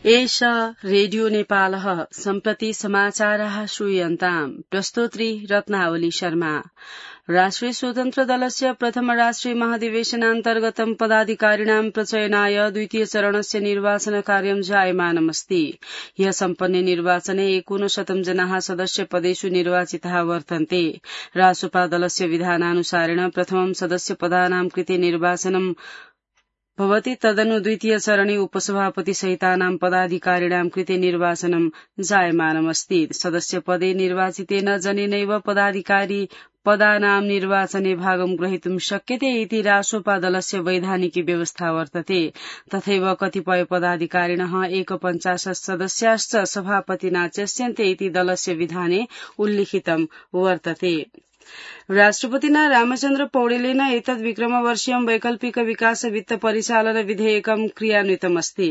एष रेडियो नेपालः सम्प्रति समाचारः श्रूयन्ताम् प्रस्तोत्री रत्नावली शर्मा। राष्ट्रिय स्वतन्त्र दलस्य प्रथम राष्ट्रिय महाधिवेशनान्तर्गतं पदाधिकारिणां प्रचयनाय द्वितीय चरणस्य निर्वाचन कार्यं जायमानमस्ति। ह्यः सम्पन्ने निर्वाचने 59 जनाः सदस्यपदेषु निर्वाचिताः वर्तन्ते। रासोपा दलस्य विधानानुसारेण प्रथमं सदस्यपदानां कृते निर्वाचनं भवति, तदनु द्वितीय चरणे उपसभापति सहितानां पदाधिकारिणां कृते निर्वाचनं जायमानमस्ति। सदस्यपदे निर्वाचितेन जनेनैव पदाधिकारी पदानां निर्वाचने भागं ग्रहीतुं शक्यते इति रासोपा दलस्य वैधानिकी व्यवस्था वर्तते। तथैव कतिपय पदाधिकारिणः 51 सदस्याश्च सभापतिना च्यस्यन्ते इति दलस्य विधाने उल्लिखितं वर्तते। राष्ट्रपतिना रामचन्द्र पौडेलेन एतद् विक्रमवर्षीयं वैकल्पिक विकास वित्त परिचालन विधेयकं क्रियान्वितमस्ति।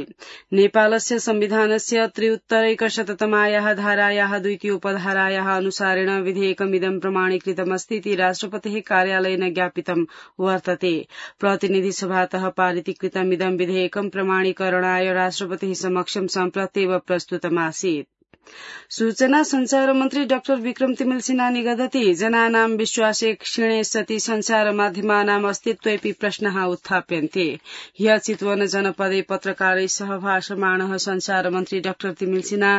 नेपालस्य संविधानस्य 3उत्तरैकशततमायाः धारायाः द्वितीयोपधारायाः अनुसारेण विधेयकमिदं प्रमाणीकृतमस्ति इति राष्ट्रपतेः कार्यालयेन ज्ञापितं वर्तते। प्रतिनिधिसभातः पारितीकृतमिदं विधेयकं प्रमाणीकरणाय राष्ट्रपतेः समक्षं सम्प्रत्येव प्रस्तुतमासीत्। सूचना संचार मन्त्री डाक्टर विक्रम तिमिल सिन्हा निगदति जनानां विश्वासे क्षीणे सति संचार माध्यमानाम् अस्तित्वेऽपि प्रश्नः उत्थाप्यन्ते। ह्यः चितवन जनपदे पत्रकारैः सह भाषमाणः संचार मन्त्री डाक्टर तिमिल सिन्हा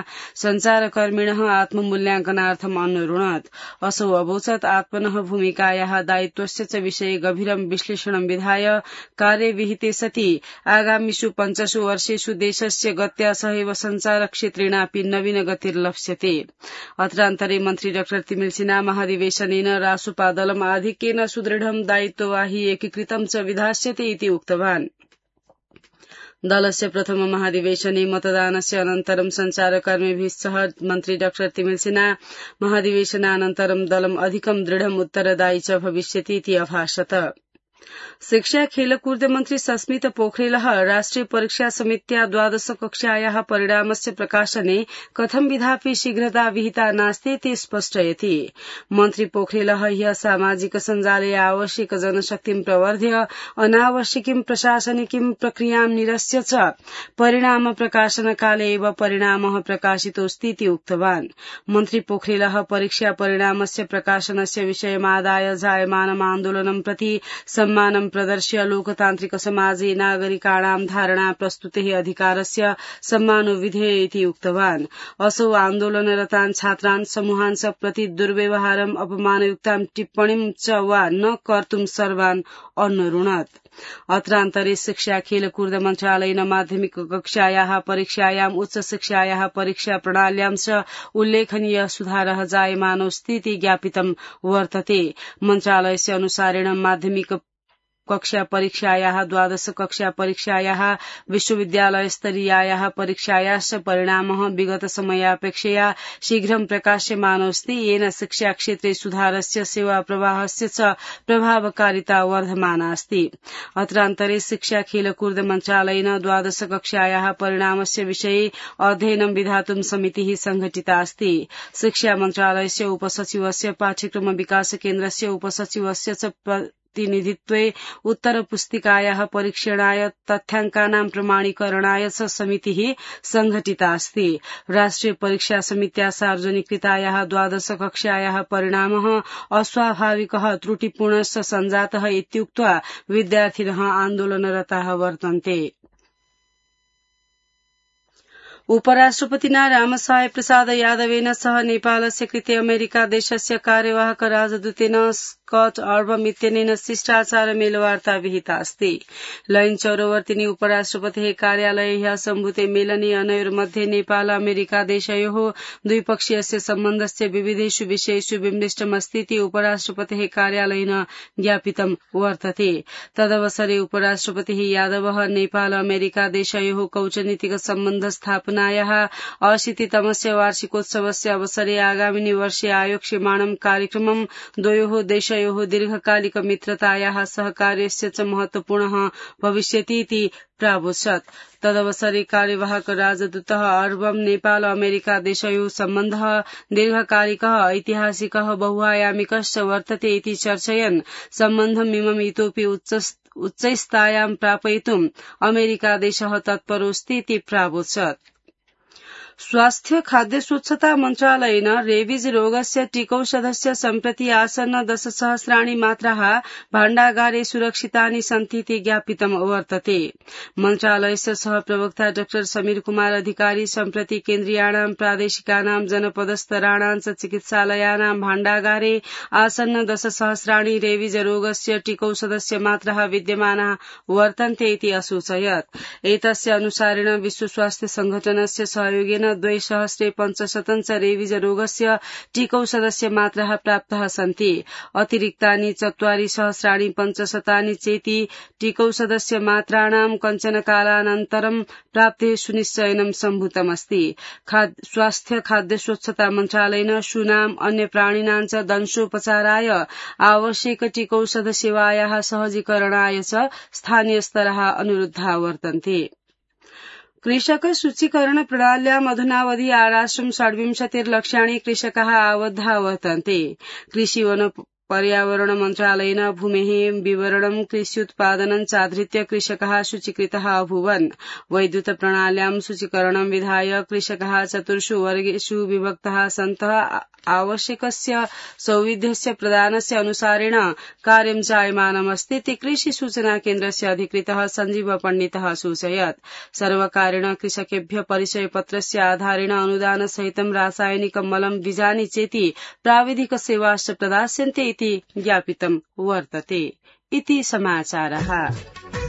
संचारकर्मिणः आत्ममूल्याङ्कनार्थम् अनुरुणत्। असौ अवोचत् आत्मनः भूमिकायाः दायित्वस्य च विषये गभीरं विश्लेषणं विधाय कार्ये विहिते सति आगामिषु 5 वर्षेषु देशस्य गत्या सहैव संचारक्षेत्रेणापि नवीन गतिर्लप्स्यते। अत्रान्तरे मन्त्री डाक्टर तिमिल सिन्हा महाधिवेशनेन रासोपा दलम् आधिक्येन सुदृढं दायित्ववाही एकीकृतं च विधास्यते इति उक्तवान्। दलस्य प्रथम महाधिवेशने मतदानस्य अनन्तरं संचारकर्मिभिः सह मन्त्री डाक्टर तिमिल सिन्हा महाधिवेशनानन्तरं दलम् अधिकं दृढम् उत्तरदायी च भविष्यति इति अभाषत। शिक्षा खेलकूद मन्त्री सस्मित पोखरेलः राष्ट्रिय परीक्षा समित्या 12 कक्षायाः परिणामस्य प्रकाशने कथं विधापि शीघ्रता विहिता नास्ति इति स्पष्टयति। मन्त्री पोखरेलः ह्यः सामाजिक सञ्जाले आवश्यक जनशक्तिं प्रवर्ध्य अनावश्यकीं प्रशासनिकीं प्रक्रियां निरस्य च परिणाम प्रकाशनकाले एव परिणामः प्रकाशितोऽस्ति इति उक्तवान्। मन्त्री पोखरेलः परीक्षा परिणामस्य प्रकाशनस्य विषयमादाय जायमानम् आन्दोलनं प्रति सम्मानं प्रदर्श्य लोकतान्त्रिक समाजे नागरिकाणां धारणा प्रस्तुतेः अधिकारस्य सम्मानो विधेय इति उक्तवान्। असौ आन्दोलनरतान् छात्रान् समूहान् च प्रति दुर्व्यवहारम् अपमानयुक्तां टिप्पणीं च वा न कर्तुं सर्वान् अनुरुणत्। अत्रान्तरे शिक्षा खेलकूद मन्त्रालयेन माध्यमिक कक्षायाः परीक्षायाम् उच्च शिक्षायाः परीक्षा प्रणाल्यां च उल्लेखनीय सुधारः जायमानोऽस्ति इति ज्ञापितं वर्तते। मन्त्रालयस्य अनुसारेण माध्यमिक कक्षा परीक्षायाः 12 कक्षा परीक्षायाः विश्वविद्यालयस्तरीयायाः परीक्षायाश्च परिणामः विगत समयापेक्षया शीघ्रं प्रकाश्यमानोऽस्ति, येन शिक्षाक्षेत्रे सुधारस्य सेवा प्रवाहस्य च प्रभावकारिता वर्धमानास्ति। अत्रान्तरे शिक्षा खेलकूद मन्त्रालयेन 12 कक्षायाः परिणामस्य विषये अध्ययनं विधातुं समितिः संघटितास्ति। शिक्षा मन्त्रालयस्य उपसचिवस्य पाठ्यक्रम विकास केन्द्रस्य उपसचिवस्य च प्रतिनिधित्वे उत्तरपुस्तिकायाः परीक्षणाय तथ्याङ्कानां प्रमाणीकरणाय च समितिः संघटितास्ति। राष्ट्रिय परीक्षा समित्या सार्वजनिकृतायाः 12 कक्षायाः परिणामः अस्वाभाविकः त्रुटिपूर्णश्च सञ्जातः इत्युक्त्वा विद्यार्थिनः आन्दोलनरताः वर्तन्ते। उपराष्ट्रपतिना रामसाय प्रसाद यादवेन सह नेपालस्य कृते अमेरिका देशस्य कार्यवाहक राजदूतेन स्कट अर्बम इत्यनेन शिष्टाचार मेलवार्ता विहिता अस्ति। लैन चौरवर्तिनी उपराष्ट्रपतेः कार्यालये ह्यः सम्भूते मेलने अनयोर्मध्ये नेपाल अमेरिका देशयोः द्विपक्षीयस्य सम्बन्धस्य विविधेषु विषयेषु विमृष्टमस्ति इति उपराष्ट्रपतेः कार्यालयेन ज्ञापितं वर्तते। तदवसरे उपराष्ट्रपतिः यादवः नेपाल अमेरिका देशयोः कूटनीतिक सम्बन्ध स्थापनायाः 80तमस्य वार्षिकोत्सवस्य अवसरे आगामिनि वर्षे आयोक्ष्यमाणं कार्यक्रमं द्वयोः देशयोः दीर्घकालिक मित्रतायाः सहकार्यस्य च महत्वपूर्णः भविष्यति इति प्रावोचत्। तदवसरे कार्यवाहक राजदूतः अर्बम नेपाल अमेरिका देशयोः सम्बन्धः दीर्घकालिकः ऐतिहासिकः बहुआयामिकश्च वर्तते इति चर्चयन् सम्बन्धमिमम् इतोपि उच्चस्थायां प्रापयितुम् अमेरिका देशः तत्परोऽस्ति इति प्रावोचत्। स्वास्थ्य खाद्य स्वच्छता मन्त्रालयेन रेबीज रोगस्य टीकौषधस्य सम्प्रति आसन्न 10,000 मात्राः भाण्डागारे सुरक्षितानि सन्ति इति ज्ञापितम् वर्तते। मन्त्रालयस्य सहप्रवक्ता डॉ समीर कुमार अधिकारी सम्प्रति केन्द्रीयाणां प्रादेशिकानां जनपदस्तराणां च चिकित्सालयानां भाण्डागारे आसन्न 10,000 रेबीज रोगस्य टीकौषधस्य मात्राः विद्यमानाः वर्तन्ते इति असूचयत्। एतस्य अनुसारेण विश्व स्वास्थ्य संघटनस्य सहयोगेन 2,500 रेबीज रोगस्य टीकौषधस्य मात्राः प्राप्ताः सन्ति। अतिरिक्तानि 4,500 चेति टीकौषधस्य मात्राणां कञ्चन कालानन्तरं प्राप्तेः सुनिश्चयनं सम्भूतमस्ति। स्वास्थ्य खाद्य स्वच्छता मन्त्रालयेन शूनाम् अन्य प्राणिनां च दंशोपचाराय आवश्यक टीकौषध सेवायाः सहजीकरणाय च स्थानीय स्तराः अनुरुद्धा वर्तन्ते। कृषक सूचीकरण प्रणाल्याम् अधुनावधि आराश्रं 26 लक्षाणि कृषकाः आबद्धा वर्तन्ते। कृषि वन पर्यावरण मन्त्रालयेन भूमेः विवरणं कृष्युत्पादनं चाधृत्य कृषकाः सूचीकृताः अभूवन्। वैद्युत प्रणाल्यां सूचीकरणं विधाय कृषकाः 4 वर्गेषु विभक्ताः सन्तः आवश्यकस्य सौविध्यस्य प्रदानस्य अनुसारेण कार्यं जायमानमस्ति इति कृषि सूचना केन्द्रस्य अधिकृतः सञ्जीव पण्डितः सूचयत्। सर्वकारेण कृषकेभ्य परिचयपत्रस्य आधारेण अनुदानसहितं रासायनिकं मलं बीजानि चेति प्राविधिक सेवाश्च प्रदास्यन्ते इति ज्ञापितं वर्तते। इति समाचारः।